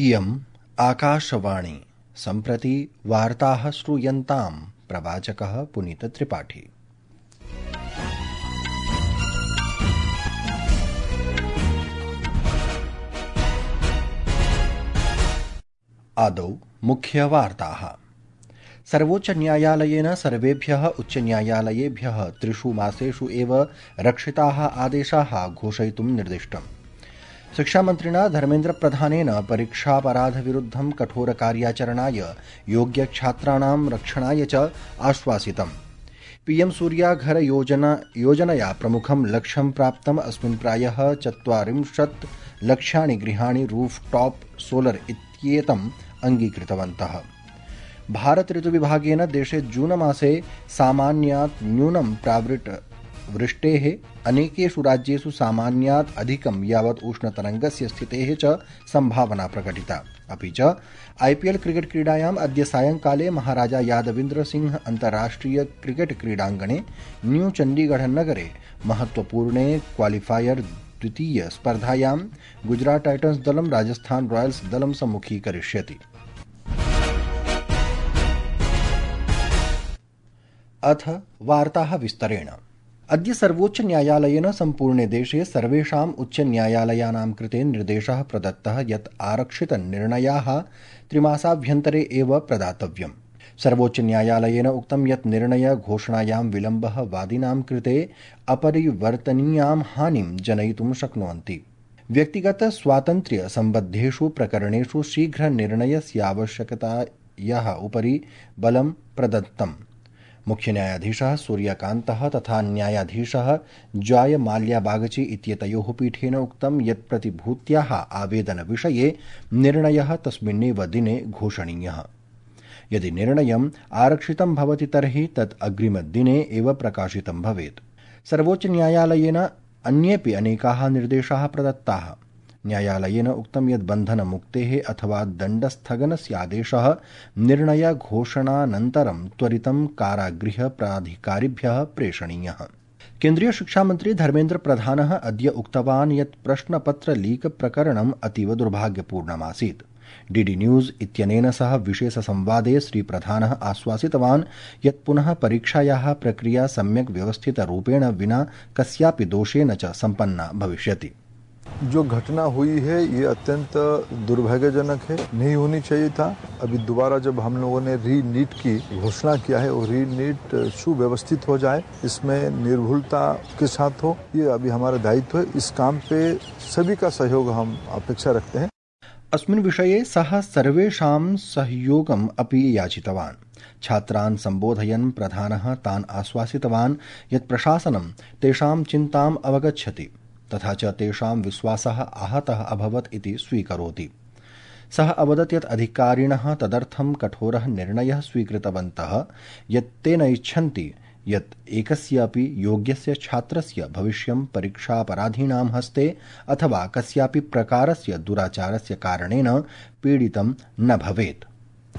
इयम् आकाशवाणी सम्प्रति वार्ताः श्रूयन्ताम् प्रवाचकः पुनीतत्रिपाठी। आदौ मुख्यवार्ताः। सर्वोच्चन्यायालयेन सर्वेभ्यः उच्चन्यायालयेभ्यः 3 मासेषु एव रक्षिताः आदेशाः घोषयितुं निर्दिष्टम्। शिक्षामन्त्रिणा धर्मेन्द्रप्रधानेन परीक्षापराधविरुद्धं कठोरकार्याचरणाय योग्यछात्राणां रक्षणाय च आश्वासितम्। पीएम सूर्याघर योजनया प्रमुखं लक्ष्यं प्राप्तम्। अस्मिन् प्रायः 40 लक्षाणि गृहाणि रूफटॉप सोलर इत्येतम् अङ्गीकृतवन्तः। भारत ऋतुविभागेन देशे जून मासे सामान्यात् न्यूनं प्रावृट् वृष्टेः अनेकेषु राज्येषु सामान्यात् अधिकं यावत् उष्णतरङ्गस्य स्थितेः च सम्भावना प्रकटिता। अपि च आईपीएल क्रिकेट क्रीडायाम् अद्य सायंकाले महाराजा यादविन्द्र सिंह अन्ताराष्ट्रिय क्रिकेट क्रीडाङ्गणे न्यू चण्डीगढ़ नगरे महत्वपूर्णे क्वालिफायर द्वितीय स्पर्धायां गुजरात टाइटन्स दलं राजस्थान रॉयल्स दलं सम्मुखीकरिष्यति। अथ वार्ताः विस्तरेण। अद्य सर्वोच्च न्यायालयेन सम्पूर्णे देशे सर्वेषाम् उच्च न्यायालयानां कृते निर्देशः प्रदत्तः यत् आरक्षितनिर्णयाः 3 मासाभ्यन्तरे एव प्रदातव्यम्। सर्वोच्च न्यायालयेन उक्तं यत् निर्णय घोषणायां विलम्बः वादिनां कृते अपरिवर्तनीयां हानिं जनयितुं शक्नुवन्ति। व्यक्तिगत स्वातन्त्र्य सम्बद्धेषु प्रकरणेषु शीघ्र निर्णयस्यावश्यकतायाः उपरि बलं प्रदत्तम्। मुख्य न्यायाधीशः सूर्यकान्तः तथा न्यायाधीशः जॉय माल्या बागची इत्येतयोः पीठेन उक्तं यत् प्रतिभूत्याः आवेदनविषये निर्णयः तस्मिन्नेव दिने घोषणीयः। यदि निर्णयम् आरक्षितं भवति तर्हि तत् अग्रिमदिने एव प्रकाशितं भवेत्। सर्वोच्च न्यायालयेन अन्येऽपि अनेकाः निर्देशाः प्रदत्ताः। न्यायालयेन उक्तं यत् बन्धनमुक्तेः अथवा दण्डस्थगनस्यादेशः निर्णयघोषणानन्तरं त्वरितं कारागृह प्राधिकारिभ्यः प्रेषणीयः। केन्द्रीय शिक्षामन्त्री धर्मेन्द्र प्रधानः अद्य उक्तवान् यत् प्रश्नपत्र लीक प्रकरणम् अतीव दुर्भाग्यपूर्णमासीत्। डीडी न्यूज इत्यनेन सह विशेषसंवादे श्रीप्रधानः आश्वासितवान् यत् पुनः परीक्षायाः प्रक्रिया सम्यक् व्यवस्थितरूपेण विना कस्यापि दोषेण च सम्पन्ना भविष्यति। जो घटना हुई है ये अत्यंत दुर्भाग्यजनक है, नहीं होनी चाहिए था। अभी दोबारा जब हम लोगों ने री नीट की घोषणा किया है और री नीट सुव्यवस्थित हो जाए, इसमें निर्भुलता के साथ हो, ये अभी हमारा दायित्व है। इस काम पे सभी का सहयोग हम अपेक्षा रखते हैं। अस्मिन् विषये सः सर्वेषां सहयोगम् अपि याचितवान्। छात्रान् सम्बोधयन् प्रधानः तान् आश्वासितवान् यत् प्रशासनं तेषां चिन्ताम् अवगच्छति तथा च तेषां विश्वासः आहतः अभवत् इति स्वीकरोति। सः अवदत् यत् अधिकारिणः तदर्थं कठोरः निर्णयः स्वीकृतवन्तः यत् ते न इच्छन्ति यत् एकस्यापि योग्यस्य छात्रस्य भविष्यं परीक्षापराधीनां हस्ते अथवा कस्यापि प्रकारस्य दुराचारस्य कारणेन पीडितं न भवेत्।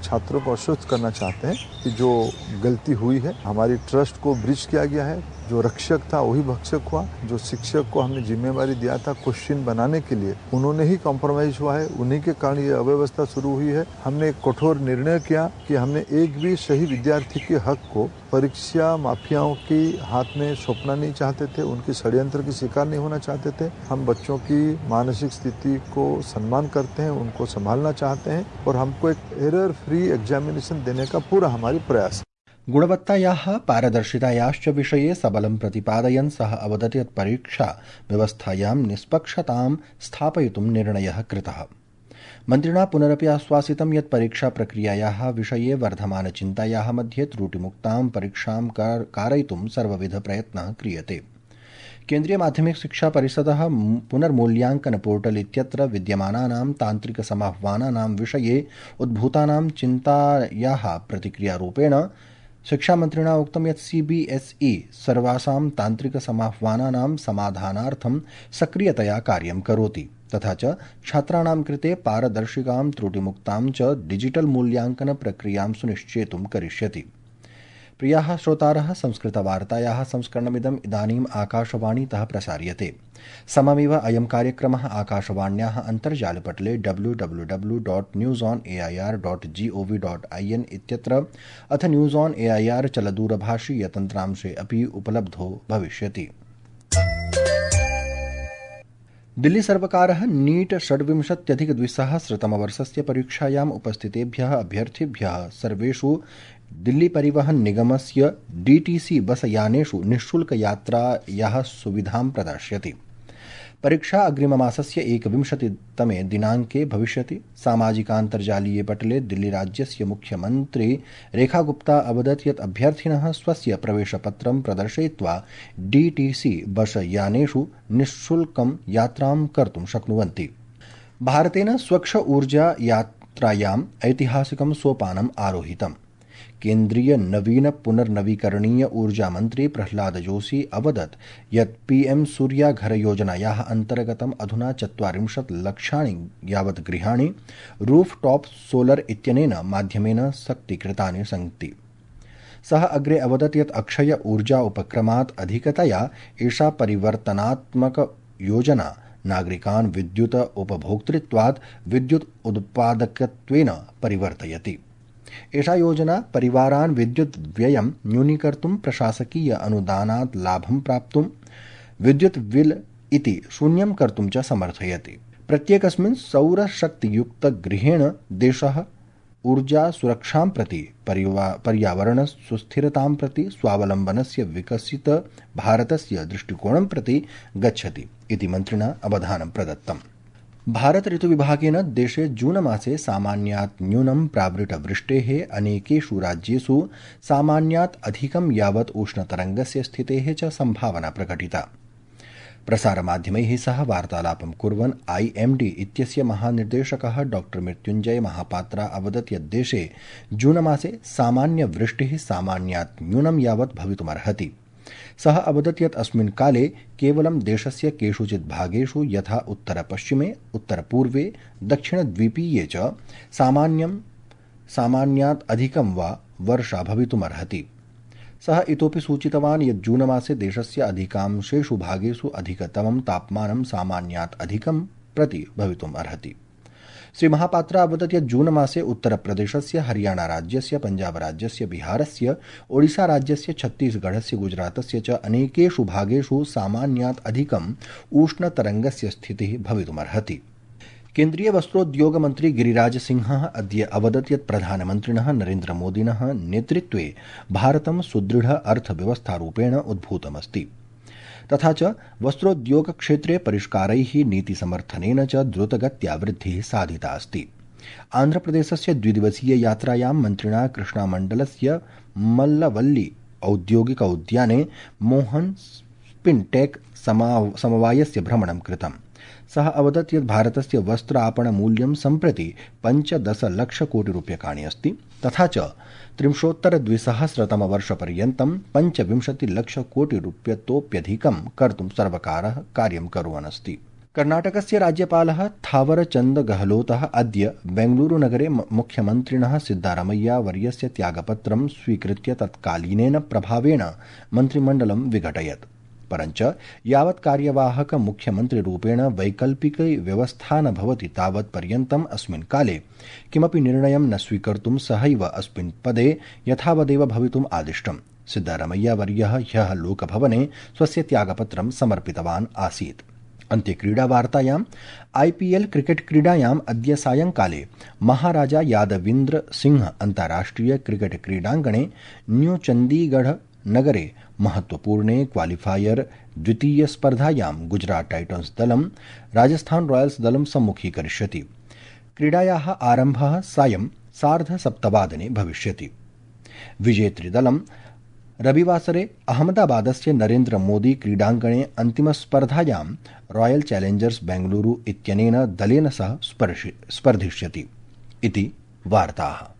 छात्रों को आश्वस्त करना चाहते हैं कि जो गलती हुई है, हमारी ट्रस्ट को ब्रीच किया गया है। जो रक्षक था वही भक्षक हुआ। जो शिक्षक को हमने जिम्मेवारी दिया था क्वेश्चन बनाने के लिए, उन्होंने ही कॉम्प्रोमाइज हुआ है। उन्हीं के कारण ये अव्यवस्था शुरू हुई है। हमने एक कठोर निर्णय किया कि हमने एक भी सही विद्यार्थी के हक को परीक्षा माफियाओं के हाथ में सौंपना नहीं चाहते थे, उनके षड्यंत्र की शिकार नहीं होना चाहते थे। हम बच्चों की मानसिक स्थिति को सम्मान करते हैं, उनको संभालना चाहते हैं और हमको एक एरर फ्री एग्जामिनेशन देने का पूरा हमारी प्रयास। गुणवत्तायाः पारदर्शितायाश्च विषये सबलं प्रतिपादयन् सः अवदत् यत् परीक्षा व्यवस्थायां निष्पक्षतां स्थापयितुं निर्णयः कृतः। मन्त्रिणा पुनरपि आश्वासितं यत् परीक्षा प्रक्रियायाः विषये वर्धमानचिन्तायाः मध्ये त्रुटिमुक्तां परीक्षां कारयितुं सर्वविधप्रयत्नः क्रियते। केन्द्रीय माध्यमिक शिक्षा परिषदः पुनर्मूल्यांकन पोर्टल इत्यत्र विद्यमानानां तान्त्रिकसमाह्वानानां विषये उद्भूतानां चिन्तायाः प्रतिक्रियारूपेण शिक्षामन्त्रिणा उक्तं यत् सीबीएसई सर्वासां तान्त्रिकसमाह्वानानां समाधानार्थं सक्रियतया कार्यं करोति तथा च छात्राणां कृते पारदर्शिकां त्रुटिमुक्तां च डिजिटल मूल्यांकन प्रक्रियां सुनिश्चेतुं करिष्यति। प्रियाः श्रोतारः, संस्कृतवार्तायाः संस्करणमिदम् इदानीम् आकाशवाणीतः प्रसार्यते। सममेव अयं कार्यक्रमः आकाशवाण्याः अन्तर्जालपटले www.newsonair.gov.in इत्यत्र अथ न्यूज़ ऑन एआईआर चलदूरभाषीयतन्त्रांशे अपि उपलब्धो भविष्यति। दिल्ली सर्वकारः नीट 26+2000 परीक्षायाम् उपस्थितेभ्यः अभ्यर्थिभ्यः सर्वेषु दिल्ली परिवहन निगमस्य DTC बस यानेषु निःशुल्कयात्रायाः सुविधां प्रदास्यति। परीक्षा अग्रिममासस्य 21 दिनाङ्के भविष्यति। सामाजिकान्तर्जालीये पटले दिल्ली राज्यस्य मुख्यमन्त्री रेखा गुप्ता अवदत् यत् अभ्यर्थिनः स्वस्य प्रवेशपत्रं प्रदर्शयित्वा DTC बस यानेषु निःशुल्कं यात्रां कर्तुं शक्नुवन्ति। भारतेन स्वच्छ ऊर्जा यात्रायाम् ऐतिहासिकं सोपानम् आरोहितम्। केन्द्रीय नवीन पुनर्नवीकरणीय ऊर्जा मंत्री प्रह्लाद जोशी अवदत् यत् PM सूर्या घर योजनायाः अन्तर्गतम् अधुना 40 लक्षाणि यावत् गृहाणि रूफटॉप सोलर इत्यनेन माध्यमेन शक्तीकृतानि सन्ति। सः अग्रे अवदत् यत् अक्षय ऊर्जा उपक्रमात् अधिकतया एषा परिवर्तनात्मक योजना नागरिकान् विद्युत उपभोक्तृत्वात् विद्युत् उत्पादकत्वेन परिवर्तयति। एषा योजना परिवारान् विद्युत् व्ययं न्यूनीकर्तुं, प्रशासकीय अनुदानात् लाभं प्राप्तुं, विद्युत् बिल इति शून्यं कर्तुं च समर्थयति। प्रत्येकस्मिन् सौरशक्तियुक्तगृहेण देशः ऊर्जा सुरक्षां प्रति, पर्यावरण सुस्थिरतां प्रति, स्वावलम्बनस्य विकसित भारतस्य दृष्टिकोणं प्रति गच्छति इति मन्त्रिणा अवधानं प्रदत्तम्। भारत ऋतुविभागेन देशे जून मासे सामान्यात् न्यूनं प्रावृतवृष्टेः, अनेकेषु राज्येषु सामान्यात् अधिकं यावत् उष्णतरङ्गस्य स्थितेः च सम्भावना प्रकटिता। प्रसारमाध्यमैः सह वार्तालापं कुर्वन् IMD इत्यस्य महानिर्देशकः डॉक्टर मृत्युञ्जय महापात्रा अवदत् यत् देशे जून मासे सामान्यवृष्टिः सामान्यात् न्यूनं यावत् भवितुमर्हति। सः अवदत् यत् अस्मिन् काले केवलं देशस्य केषुचित् भागेषु यथा उत्तरपश्चिमे, उत्तरपूर्वे, दक्षिणद्वीपीये च सामान्यात् अधिकं वा वर्षा भवितुमर्हति। सः इतोपि सूचितवान् यत् जून मासे देशस्य अधिकांशेषु भागेषु अधिकतमं तापमानं सामान्यात् अधिकं प्रति भवितुम् अर्हति। श्री महापात्रा अवदत् यत् जून मासे उत्तरप्रदेशस्य, हरियाणा राज्यस्य, पञ्जाब राज्यस्य, बिहारस्य, ओडिशा राज्यस्य, छत्तीसगढ़स्य, गुजरातस्य च अनेकेषु भागेषु सामान्यात् अधिकम् उष्णतरङ्गस्य स्थितिः भवितुमर्हति। केन्द्रीय वस्त्रोद्योग मन्त्री गिरिराज सिंहः अद्य अवदत् यत् प्रधानमन्त्रिणः नरेन्द्रमोदिनः नेतृत्वे भारतं सुदृढ अर्थव्यवस्थारूपेण उद्भूतमस्ति। तथा च वस्त्रोद्योगक्षेत्रे परिष्कारैः, नीतिसमर्थनेन च द्रुतगत्या वृद्धिः साधिता अस्ति। आन्ध्रप्रदेशस्य 2 यात्रायां मन्त्रिणा कृष्णामण्डलस्य मल्लवल्ली औद्योगिक उद्याने मोहन स्पिन्टेक् समवायस्य भ्रमणं कृतम्। सः अवदत् यत् भारतस्य वस्त्र आपणमूल्यं सम्प्रति 15 लक्षकोटिरूप्यकाणि अस्ति। तथा च 33-वर्षपर्यन्तं 25 लक्षकोटिरूप्यतोप्यधिकं कर्तुं सर्वकारः कार्यं कुर्वन् अस्ति। कर्णाटकस्य राज्यपालः थावरचन्द गहलोतः अद्य बेंगलुरुनगरे मुख्यमन्त्रिणः सिद्धारमैया वर्यस्य त्यागपत्रं स्वीकृत्य तत्कालीनेन प्रभावेण मन्त्रिमण्डलं विघटयत्। परञ्च यावत् कार्यवाहक मुख्यमन्त्रिरूपेण वैकल्पिक व्यवस्था न भवति तावत् पर्यन्तम् अस्मिन् काले किमपि निर्णयं न स्वीकर्तुं सहैव अस्मिन् पदे यथावदेव भवितुम् आदिष्टम्। सिद्धारमैया वर्यः ह्यः लोकभवने स्वस्य त्यागपत्रं समर्पितवान् आसीत्। अन्ते क्रीडावार्तायाम् IPL क्रिकेट क्रीडायाम् अद्य सायंकाले महाराजा यादविन्द्र सिंह अन्ताराष्ट्रिय क्रिकेट क्रीडाङ्गणे न्यू चण्डीगढ़ नगरे महत्वपूर्णे क्वालिफायर द्वितीय स्पर्धायां गुजरात टाइटन्स दलं राजस्थान रॉयल्स दलं सम्मुखीकरिष्यति। क्रीडायाः आरम्भः सायं 7:30 भविष्यति। विजेतृदलं रविवासरे अहमदाबादस्य नरेन्द्र मोदी क्रीडाङ्गणे अन्तिमस्पर्धायां रॉयल चैलेंजर्स बेंगलुरु इत्यनेन दलेन सह स्पर्धिष्यति इति वार्ताः।